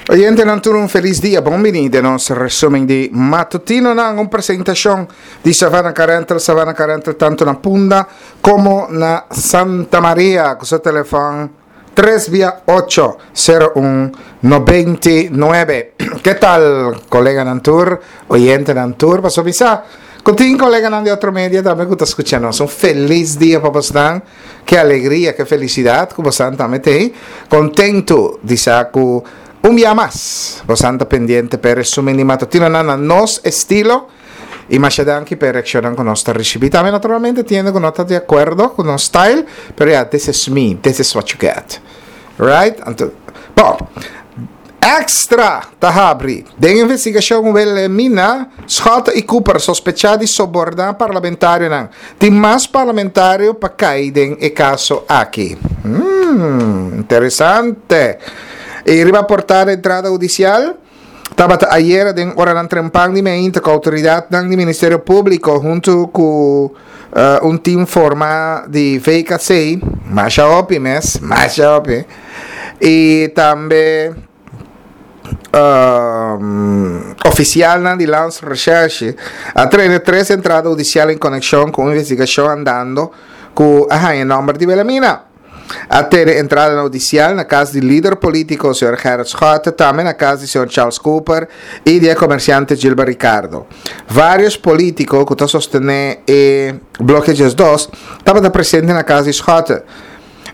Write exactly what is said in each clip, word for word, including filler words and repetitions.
Oyentenan tur un felis dia, bon bini den nos resumen di matutinonan, un presentacion di Savannah Car Rental, Savannah Car Rental tanto na Punda como na Santa Maria, cu su telefon tres via ocho cero un noventa y nuebe. Ke tal, coleganan tur, oyentenan tur? Paso bisa cu tin coleganan di otro media tambe cu ta scucha nos. Un felis dia pa bosnan. Ke alegria, ke felicidad cu bosnan tambe t'ey. Contento di sa cu un bia mas bosnan ta pendiente p'e resumen di matutinonan na nos estilo. Y masha danki p'e reaccionnan cu nos ta ricibi. Tambe naturalmente tin hende cu no ta di acuerdo cu nos style, pero ya, this is me, this is what you get. Right? Anto, bon, Extra ta habri. Den investigacion Wilhelmina, Schotte y Cooper sospecha di soborna parlamentarionan. Tin mas parlamentario pa cay den e caso aki. Hmm, interesante. Y riba portada entrada hudicial. Tabata ayera den oranan trempan di mainta cu autoridadnan di Ministerio Publico hunto cu, eh, un team forma di V K C, masha hopi mes, masha hopi, y tambe, um, oficialnan di Landsrecherche a tene tres entrada hudicial en conexion cu un investigacion andando cu a haña nomber di Wilhelmina. A tene entrada hudicial na cas di lider politico señor Gerrit Schotte, tambe na cas di señor Charles Cooper y di comerciante Gilbert Ricardo. Varios politico cu ta sostene e Bloke diesdos tabata presente na cas di Schotte.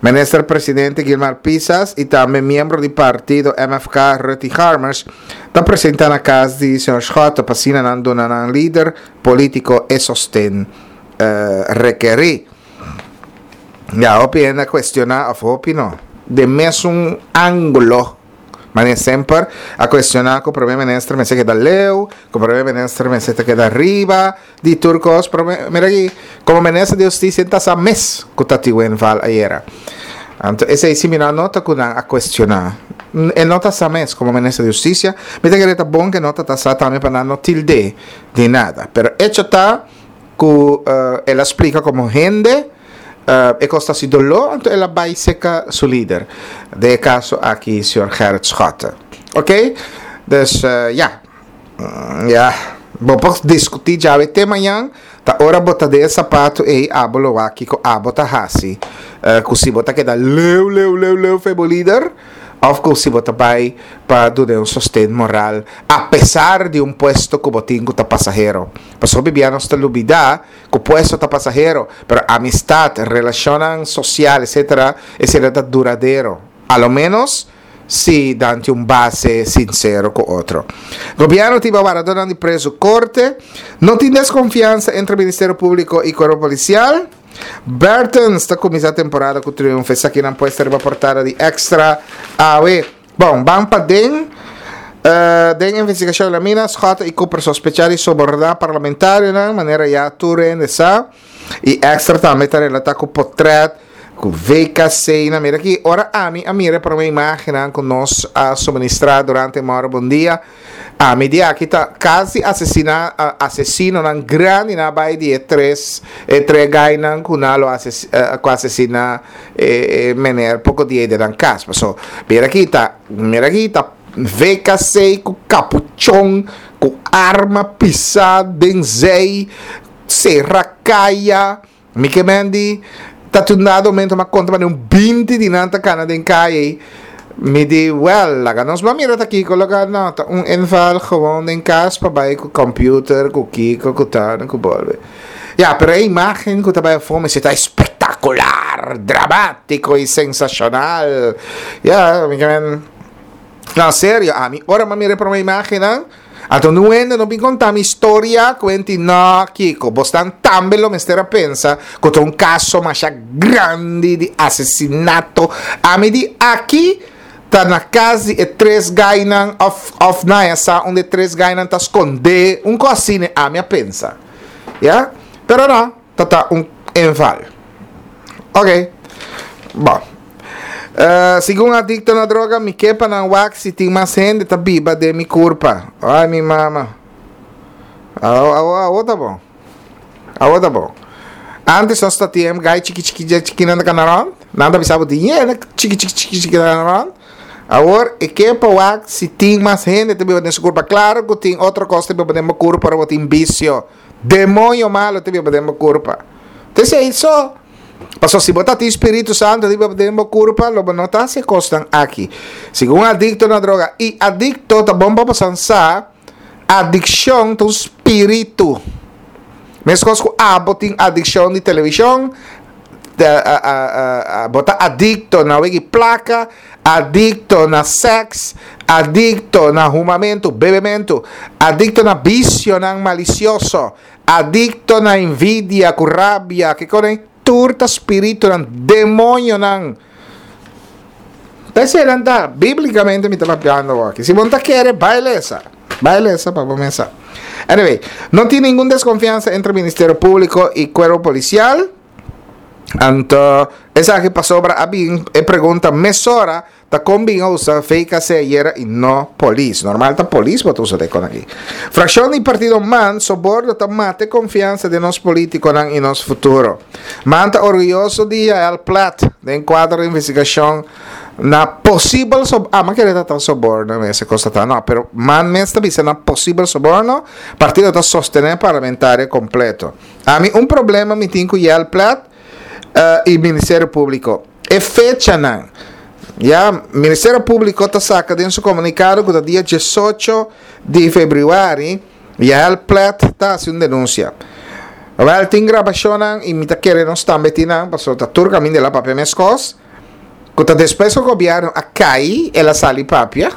Minister Presidente Gilmar Pisas y tambe miembro di partido M F K Rutty Harmers ta presente na cas di señor Schotte pa asina nan duna nan lider politico e sosten eh, rekeri. Ja, hopi hende a cuestiona, of hopi no, den mesun angulo, maar semper a cuestiona cu prome minister mester keda leu, cu prome minister mester keda riba di tur cos, pero mira aki, como minister di Husticia ta sa mes cu tatin inval ayera. Anto, esey si mi no nota cu nan a cuestiona. E no ta sa mes como minister di Husticia, mi ta kere ta bon cu no ta sa tambe pa nan no tilde di nada. Pero hecho ta cu uh, el a splica como hende, uh, e cos ta haci dolor, anto el a bay serca su lider. Den e caso aki, señor Gerrit Schotte. Ok? Dus, uh, ja. Mm, ja. Bo por discuti djawe te mañan, ta ora bo ta den e sapato ey abo lo wak kico abo ta hasi. Uh, cu si bo ta keda leu, leu, leu, leu fei bo lider, of cu si bo ta bay pa duna un sosten moral, a pesar di un puesto cu bo tin cu ta pasahero. Pasobra hopi bia nos ta lubida cu puesto ta pasahero, pero amistad, relacionnan social, etcétera, etcétera ta duradero. A lo menos si dante un base sincero cu otro. Gobierno tin wardadornan di preso corte, no tin desconfiansa entre Ministerio Publico y Cuerpo Policial. Bertens ta cuminsa temporada cu triunfo. Esakinan por ta riba portada di Extra awe. Bon, ban pa den. Uh, den investigacion Wilhelmina, Schotte y Cooper sospecha di soborna parlamentarionan, manera ya tur hende sa. Y Extra tambe ta relata cu potret, cu V K C, na mira aki, ora ami a mira pa un imagen cu nos a suministra durante Moro Bon Dia. Ami di aki ta casi asesina, asesinonan grandi nan bay di e tres e tres guynan cu nan lo ases, uh, cu asesina eh, eh, meneer poco dia den nan cas. So, mira aki ta, mira aki ta V K C cu capuchon, cu arma pisa den zee, cera caya. Mi kiermen di ta un dado momento m'a conta un binti di nan ta cana den caya. Mi di, well, laga nos ban mira ta kico, laga no, ta un inval gewoon den cas pa bay cu computer, cu kico, cu tan, cu bolbe. Ja, pero e imagen cu ta bay afo mester ta espectacular, dramatico y sensacional. Ja, mi kiermen, no, serio, ami, ora m'a mira pa e imagen, anto no hende no bin conta mi historia, cuenti no, kico, bosnan tambe lo mester a pensa cu ta un caso masha grandi di asesinato. Ami di aki ta na cas di e tres guynan of of na ya sa unda e tres guynan ta sconde, un cos asina ami a pensa. Ja? Pero no, ta ta un inval. Ok. Bon. Uh, segun adicto na droga, mi kier pa nan wak si tin mas hende ta biba den mi curpa. Ai, mi mama. Awo, awo ta bon. Awo ta bon. Antes nos tatin guy chiki chiki chiki nan ta cana rond. Nan ta bisa bo tin chiki chiki chiki chiki cana rond. Awor, e ke pa wak si tin mas hende ta biba den su kurpa. Klaro ku tin otro kos ta biba den bo kurpa ora bo tin bisio. Demoño malo ta biba den bo kurpa. Ta esei so. Pasobra si bo ta tin Spiritu Santu ta biba den bo kurpa, lo bo no ta hasi e kosnan aki. Segun un adikto na droga, i adikto ta bon pa boso sa, adikshon ta un spiritu. Meskos ku abo tin adikshon di televishon, bo ta adikto na wegi plaka, adikto na sèks, adikto na humamentu, bebementu, adikto na bisionan malisioso, adikto na envidia ku rabia, kiko den, tur ta spiritunan, demoñonan. Ta eseinan ta, bíblikamente mi ta papiando awor aki. Si bo no ta kere, bai lesa. Bai lesa pa bo mes sa. Anyway, no tin ningun deskonfiansa entre Ministerio Públiko i Kuerpo Polisial. Anto, esaki pasobra a bin e pregunta mesora ta kon bin a usa V K C ayera i no polis. Normal ta polis bo ta usa den kon aki. Frakshon di partido man soborno ta mata e konfiansa den nos politikonan i nos futuro. Man ta orguyoso di Yael Plet den kuadro di investigashon na posibel sob ah man kere ta ta soborno mes e kos ta ta no pero man mes ta bisa na posibel soborno partido ta sostene parlamentario kompleto. Ami un problema mi tin ku Yael Plet i Ministerio Publiko. E fechanan. Ya, Ministerio Publico ta saca den su comunicado cu ta dia diesocho di februari Yael Plet ta haci un denuncia. Wel, tin grabacionnan y mi ta kere nos tambe tin nan, pasobra ta tur caminda el a papia mescos, cu ta despues cu gobierno a cay el a sali papia,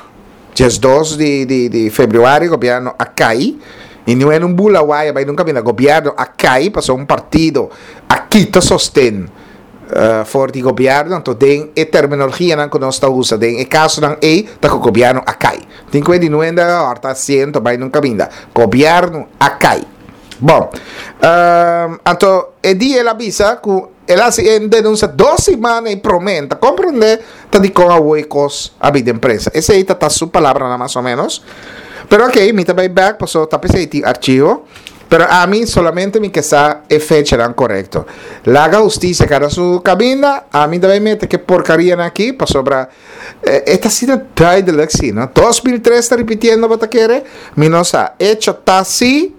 diesdos di di di februari gobierno a cay y niun hende un bula waya bay nunca bina, gobierno a cay pasobra un partido a kita sosten. For di gobièrnu, anto den e terminologianan ku nos ta usa den e kasonan ei ta ku gobièrnu a kai. Tin ku e di nuenda a hòrta asiento bai nun kaminda. Gobièrnu a kai. Bon, anto e dia el a bisa ku el a hasi e denunsia dos simana ei promé. N ta komprondé ta dikon awor e kos a bin den prensa. Esei ta ta su palabranan mas o ménos. Pero okey, mi ta bai bèk pasobra ta p'esei tin archivo. Pero ami solamente mi ke sa e fechanan korekto. Laga hustisia kada su kaminda, ami ta bai mete ke porkarianan aki pasobra e ta asina duidelijk si no. Dos mil tres ta ripitiendo bo ta kere? Mi no sa. Echo ta si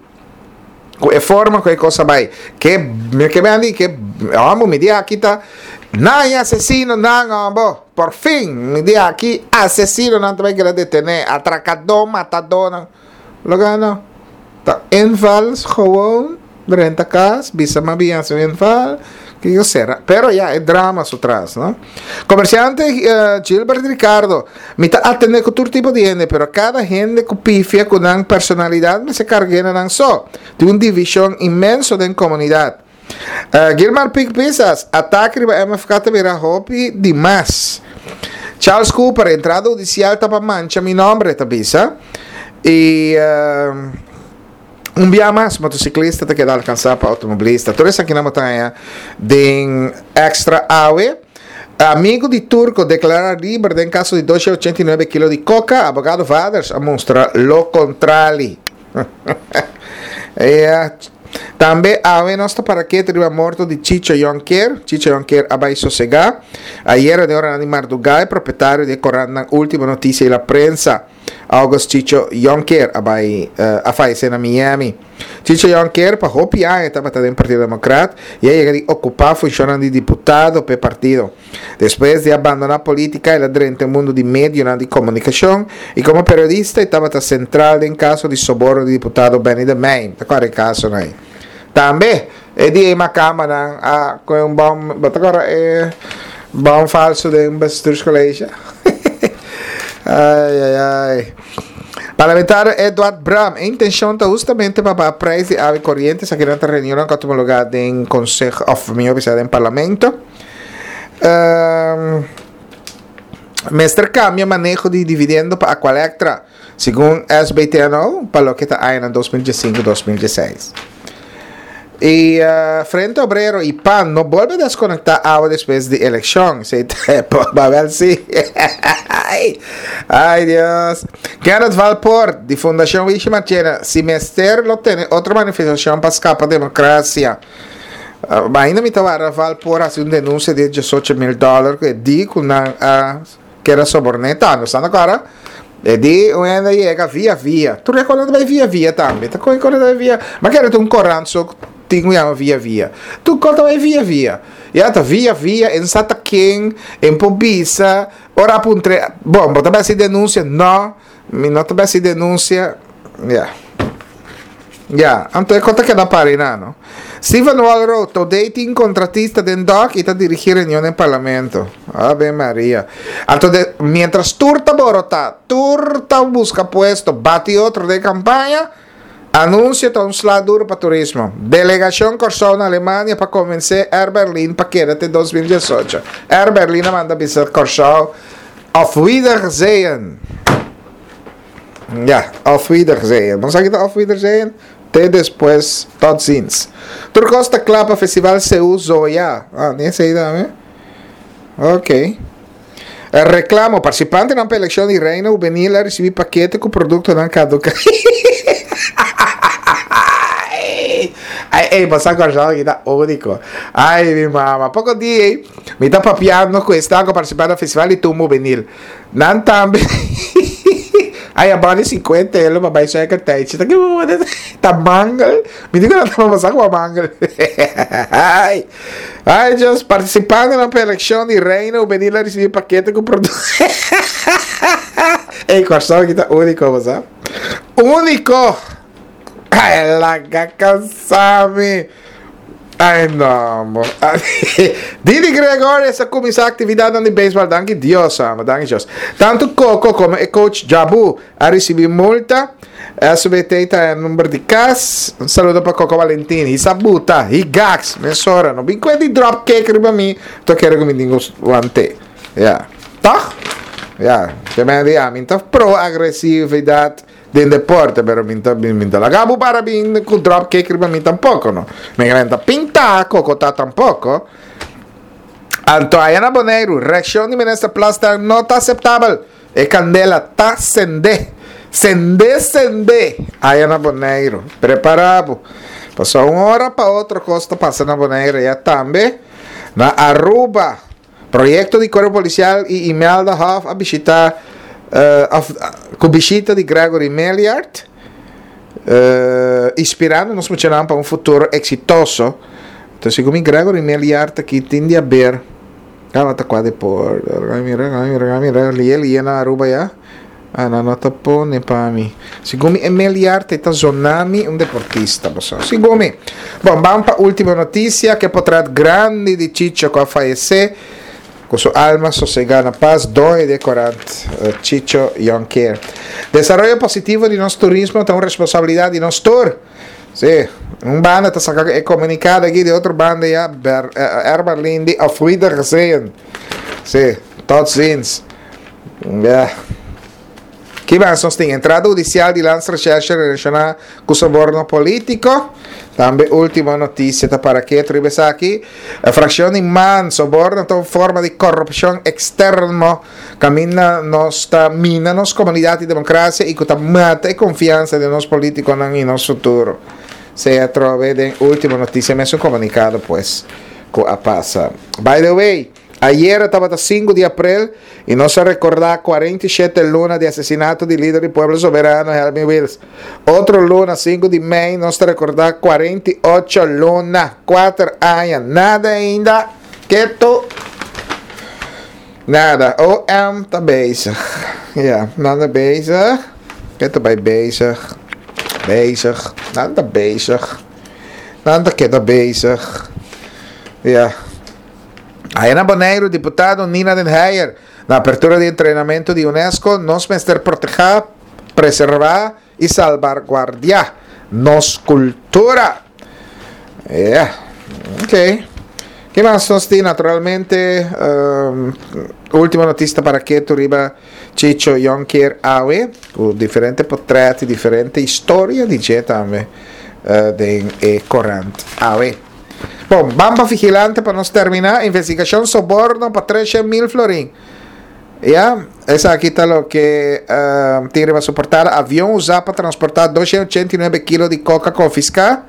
ku e forma ku e kos a bai. Ke mi ke bende ke hombo mi di aki ta nan e asesino nan hombo. Por fin mi di aki asesinonan ta bai keda detene, atrakadó, matadónan. Loke no. Ta inval gewoon drenta cas bisa ma bin haci un inval kico sera pero ya e drama su tras no. Comerciante Gilbert Ricardo mi ta atende cu tur tipo di hende pero cada hende cu pifia cu nan personalidad mester cargue na nan so tin un division inmenso den comunidad. Gilmar Pik Pisas, Atake riba M F K ta bira hopi di mas. Charles Cooper, Entrada hudisial ta pa mancha mi nomber, e ta bisa. I un bia mas motosiklista ta keda alkansá pa outomobilista. Tur esakinan bo ta haña den Extra awe. Amigu di Turko deklará liber den kaso di dos ochenta i nuebe kilo di koka, abogado Vaders a mustra lo kontrali. Ya. Tambe awe nos ta para ketu riba morto di Chicho Jonker. Chicho Jonker a bai sosegá. Ayera den oranan di mardugá e propietario di e korantnan Ultima Noticia y La Prensa, August Chicho Jonker a bai a fayesé na Miami. Chicho Jonker pa hopi aña tabata den Partido Democrat y a yega di okupá funshonnan di diputado p'e partido. Despues di a bandoná polítika el a drenta e mundu di medionan di komunikashon i komo periodista e tabata sentral den kaso di soborno di diputado Benny de Meijn. Ta kòrda e kasonan ei. Tambe e di ei makamanan a kohe un bòn, bo ta kòrda e bòn falsu den Bestuurscollege? Ai ai ai. Parlamentario Eduard Bram, E intenshon ta hustamente pa baha prijs di awa i koriente, esakinan ta reunionnan ku a tuma lugá den konseho òf mihó bisa den parlamento. Mester cambia maneho di dividendo pa Aqualectra, segun S B T N O, pa loke ta añanan dos mil diesinku dos mil diesseis. Y Frente Obrero y PAN no bolbe desconecta awa despues di eleccion. Esey ta Babel si. Ay Dios. Kenneth Valpoort di Fundacion Wishi Marchena, si mester lo tene otro manifestacion pa scapa democracia. Ainda mi ta wara Val por hasi un denuncia di diesocho mil dollar ku e di ku nan a Keda soborn'é tambe. Bo sa kara? E di un hende yega via via. Tur e korant bai via via tambe. Ta kon e korant bai via. Ma kere ta un korant so tin ku yama via via. Tur kos ta bai via via. Ya ta via via, en sa ta ken, en por bisa. Ora a puntr'é, bon, bo ta bai hasi denunsia? No, mi no ta bai hasi denunsia. Ya. Ya, anto e kos ta keda pari na, no? Steven Walrow, Todé tin kontratista den dòk i ta dirigí reunion den parlamento. Ave Maria. Anto de, mientras tur ta borotá, tur ta buska puesto, bati otro den kampaña, anunsio ta un sla duro pa turismo. Delegashon Kòrsou na Alemania pa konvensé Air Berlin pa keda te dos mil diesocho. Air Berlin a manda bisa Kòrsou, Auf Wiedersehen. Ya, auf Wiedersehen. Bo sa ki ta auf Wiedersehen? Te despues, tot ziens. Tur kos ta kla pa Festival Seú Zoya. Ah, ni esei tambe? Ok. Reklamo, Partisipantenan pa elekshon di Reina Hubenil a risibí pakete ku produktonan kaduká. Ai, ei, bo sa Kòrsou aki ta úniko. Ai, mi mama. Poko dia ei, mi ta papiando ku esnan ku a partisipá na Festival di Tumba Hubenil. Nan tambe Ay a bali cincuenta elo pa bai sueker tijdje. Ta ke ta mangel. Mi di ku nan ta pasa ku a mangel. Ay, ay Dios, participando na eleccion di Reino Juvenil a recibi pakete ku producto. Ey, Kòrsou aki ta úniko, bo sa. Úniko! Ay, laga kansa mi. Ay no, mo. Didi Gregorius a kuminsá aktividatnan di beisbòl. Danki Dios, amo. Danki Dios. Tantu Coco komo e coach Jabu a risibí multa. S B T ta e number di kas. Un saludo pa Coco Valentin. Hisa buta, higax, mesora. No bin kue di drop kick riba mi. To kere ku mi tin ku want'é. Ya. Tòg? Ya. Ke men di, ami ta pro agresividat. Den deporte, pero mi ta, mi ta laga bo para bin ku drop kick riba mi tampoco, no. Mi ta pinta kokota tampoco. Anto aya na Boneiru, reakshon di minister Plasterk no ta aseptabel. E kandela ta sende. Sende, sende! Aya na Boneiru. Prepara bo. Pasobra un ora pa otro kos ta pasa na Boneiru ya tambe. Na Aruba. Proyecto di Cuerpo Policial y Imelda Hof a bishita of cu bishita di Gregory Meliard inspirando nos muchanan pa un futuro exitoso. Entonces segun mi Gregory Meliard aki tin di haber tabata cua depor mira mira mira lie lie na Aruba ya. Ah, nan no ta pone pa mi. Segun mi e Meliard e ta zona mi un deportista, bo sa. Segun mi. Bon, ban pa ultimo noticia, ke potret grandi di Chicho ku a fayece, ku su alma sosega na pas, doño di e korant Chicho Jonker. Desaroyo positivo di nos turismo ta un responsabilidad di nos tur. Si, un banda ta saka e komunikado aki, di otro banda ya Ber, Erberlin di Auf Wiedersehen. Si, tot ziens. Ya. Ki mas nos tin? Entrada hudisial di Landsrecherche relashoná ku soborno polítiko. Tambe último notisia ta para ketu riba esaki. E frakshon di man, soborno ta un forma di korupshon eksterno kaminda nos ta mina nos komunidat i demokrasia i ku ta mata e konfiansa den nos polítikonan i nos futuro. Sea atrobe den último notisia mesun komunikado pues ku a pasa. By the way. Ayera tabata sinku di aprel i nos a rekordá kuarenta i shete luna di asesinato di lider di Pueblo Soberano Helmin Wiels. Otro luna, sinku di mei, nos ta rekordá kuarenta i ocho luna, kuater aña, nada ainda, ketu, nada. O M ta bezig, ya, nan ta bezig, ketu bai bezig, bezig, nan ta bezig, nan ta keda bezig, ya. Aya na Boneiru, diputado Nina den Heyer, na apertura di entrenamentu di unesco, nos mester protehá, preservá i salbarguardiá nos kultura. Yeah, ok. Ke mas nos tin? Naturalmente, um, último notista para ketu riba Chicho Jonker awe, ku diferente potret i diferente historia di dje tambe uh, den e korant awe. Bon, ban pa vigilante pa nos termina. Investigacion soborno pa treshen mil florin. Ya, esaki ta loke uh, tin riba su portada. Avion usa pa transporta doshen ochenta i nuebe kilo di coca confisca.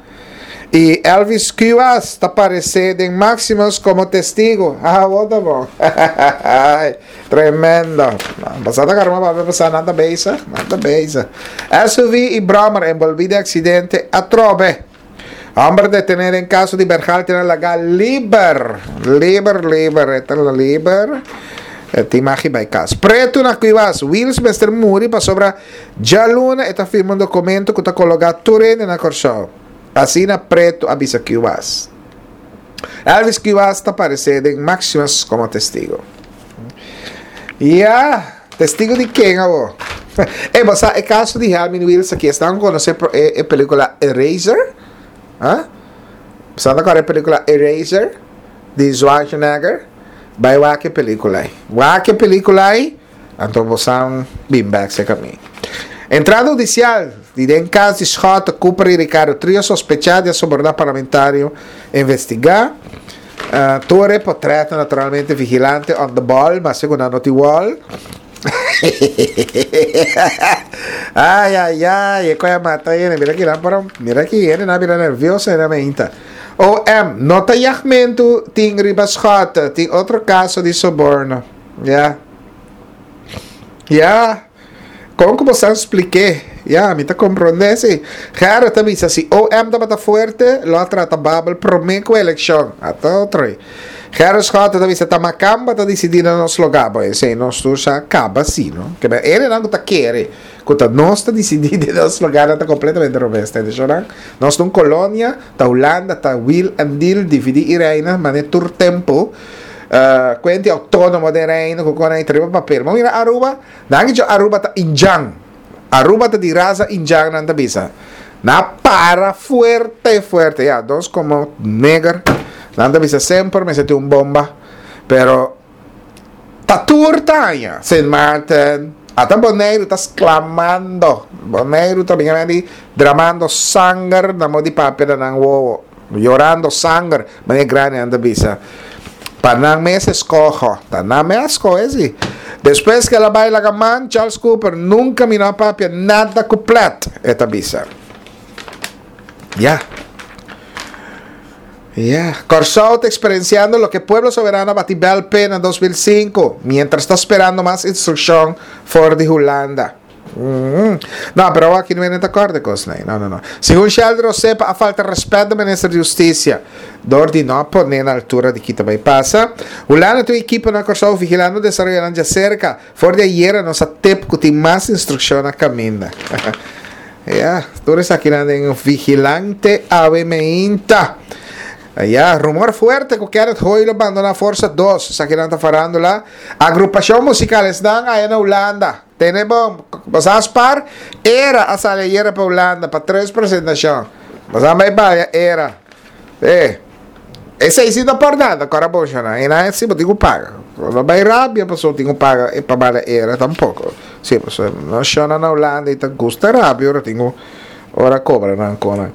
I Elvis Kuwas ta aparesé den Maximus komo testigu. Ah, wou ta bon. Tremendo. Pasada karma pa pasa nan ta bezig, nan ta bezig. S U V i bròmer enbolbí den aksidente atrobe. Hòmber detené den kaso di Bergalte na laga liber. Liber, liber, e ta liber. E tin magi bai kas. Pretu na Kuwas, Wiels mester muri pasobra djaluna e ta firma un dokumento ku ta kologá tur hende na Kòrsou. Asina Pretu a bisa Kuwas. Elvis Kuwas ta aparesé den Maximus komo testigu. Ya, testigu di ken abo? E, bo sa e kaso di Helmin Wiels aki, esnan ku konosé e pelíkula Eraser? Ha? Bo ta kòrda e pelíkula Eraser di Schwarzenegger? Bai wak e pelíkula ei. Wak e pelíkula ei, anto bo sa bin bèk serka mi. Entrada hudisial di den kas di Schotte, Cooper i Ricardo Trio sospechá di a soborná parlamentario investigá. Uh, tur e portretnan naturalmente vigilante on the ball, ma segun nan no tin wall. Ai, ai, ai, e koe a mata hende. Mira ki nan por, mira ki hende nan bira nervioso hende meinta. O M, no ta yagmentu tin riba Schotte, tin otro kaso di soborno. Ya. Ya. Kon ku bo sa splik'é? Ya, mi ta komprondé si. Gerrit ta bisa si O M tabata fuerte, lo a trata Babel promé ku elekshon. Ata otro ei. Gerrit Schotte ta bisa ta makamba ta disidí na nos lugá. Bo, esei nos tur sa kaba si, no? Ke men hendenan ku ta kere ku ta nos ta disidí den nos lugá nan ta kompletamente robes. Ta entendé? Nos ta un kolonia, ta Hulanda, ta wil en deal, dividí i reina, manera tur tempu. Uh, kuenti outónomo den reino ku kon ei ta riba papel. Bo mira Aruba, nan a dicho Aruba ta indjan. Aruba ta di rasa indjan nan ta bisa. Nan a para fuerte fuerte. Ya, nos komo neger, nan ta bisa semper mester tin un bomba. Pero ta tur ta haña. Sint Maarten, ata Boneiru ta sklamando. Boneiru ta bini di dramando sanger na mo di papia na nan wowo. Yorando sanger, manera grandi nan ta bisa. Pa nan mes eskoho. Ta nan mes a skohe si. Despues ku el a bai laga man, Charles Cooper, nunka mi no a papia nada ku Plet, e ta bisa. Ya. Ya. Kòrsou ta eksperensiando loke Pueblo Soberano a bati bèl p'e na dos mil sinku, miéntras ta sperando mas instrukshon for di Hulanda. No, pero awor aki no ta kòrda e kosnan ei. No, no, no. Segun Sheldry Osepa a falta rèspèt na Minister di Hustisia dor di no a pon'é na altura di kita bai pasa. Hulanda tin un ekipo na Kòrsou vigilando desaroyonan djaserka. For di ayera nos a tep ku tin mas instrukshon na kaminda. Ya, tur esakinan den vigilante awe meinta. Ya, rumor fuerte ku Kenneth Hooi lo bandona Forsa dos. Esakinan ta farándula. Agrupashon musikal esnan aya na Hulanda. Tene bon, bo sa spar? Era a sali ayera pa Hulanda pa tres presentashon. Bo sa bai baya era. Eh, esei si no por nada, kora bon shona. E nan si bo tin ku paga. Bo no bai rabia pasobra bo tin ku paga pa bala era tampoko. Si, pasobra no shona na Hulanda i ta gusta rabia ora tin ku ora kobra nan konan.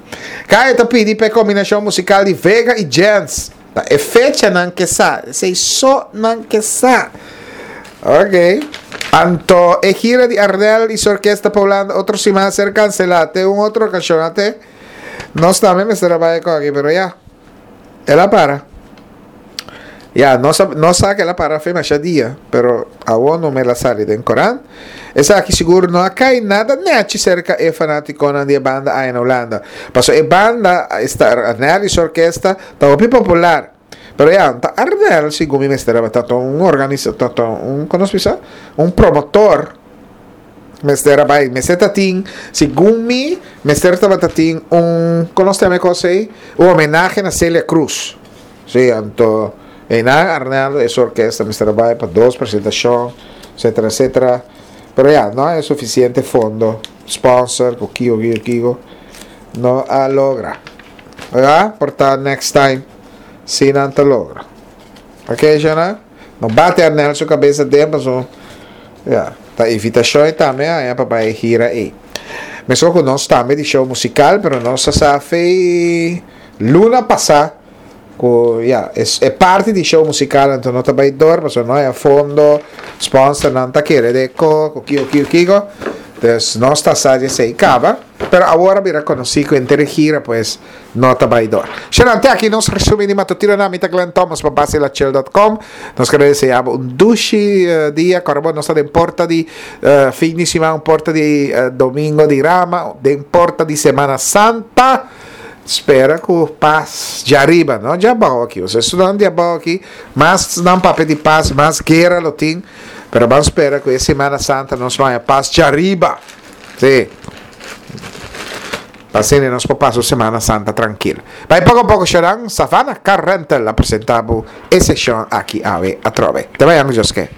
Kaya ta pidi pa e kombinashon musikal di Vega i Jens. Ta e fecha nan ke sa. Esei so nan ke sa. Ok. Anto e gira di Arnel y su orkesta pa Hulanda otro siman a ser cancela. Te un otro ocasion ate. Nos tambe mester a bay con aki, pero ya. El a para. Ya, nos a, nos sa que el a para fe masha dia, pero awor no me la sali den corant. Esaki sigur no a cay nada nechi cerca e fanaticonan di e banda aya na Hulanda. Paso e banda, esta Arnel y su orkesta, ta hopi popular. Pero ya, ta Arnel, segun mi mester a ta un organisa, ta ta un, kono se bisa? Un promotor mester a bai. Mester ta tin, segun mi, mester tabata tin un, kono se llama e cosa ei? Un homenahe na Celia Cruz. Sí, anto, einan Arnel e su orkesta mester a bai pa dos presentashon, etcétera, etcétera. Pero ya, no hay suficiente fondo, sponsor, ku kiko, kiko, kiko, no a logra. Oiga, por ta next time. Si nan ta logra. Ok, Shana? No bate Arnel su cabeza den paso. Ja, ta invitacion e tambe haña pa bai gira ei. Mesco cu nos tambe di show musical, pero nos a sa fe luna pasa cu ja, es, e parti di show musical anto no ta bai door, paso no haya fondo, sponsor nan ta kere de ko, ku kiko, kiko, kiko. Dus nos ta sa esei kaba, pero awor a bira konosí ku henter gira pues no ta bai dor. Shanan, te aki nos resumen di matutino na mi ta Glenn Thomas pa Basilachel punto com. Nos ke deseá bo un dushi uh, dia, awor nos ta den porta di uh, fin di siman, porta di uh, Domingo di Rama, den porta di Semana Santa. Spera ku pas djariba, no djabou aki. Bo studiante djabou aki, mas nan papia di pas, mas guera lo tin. Pero ban spera ku Semana Santa nos haña pas djariba. Si. Asina nos por pasa Semana Santa trankil. Bai poko poko sharan, Savannah Car Rental a presentá e seshon aki awe atrobe. Te mañan, Joske.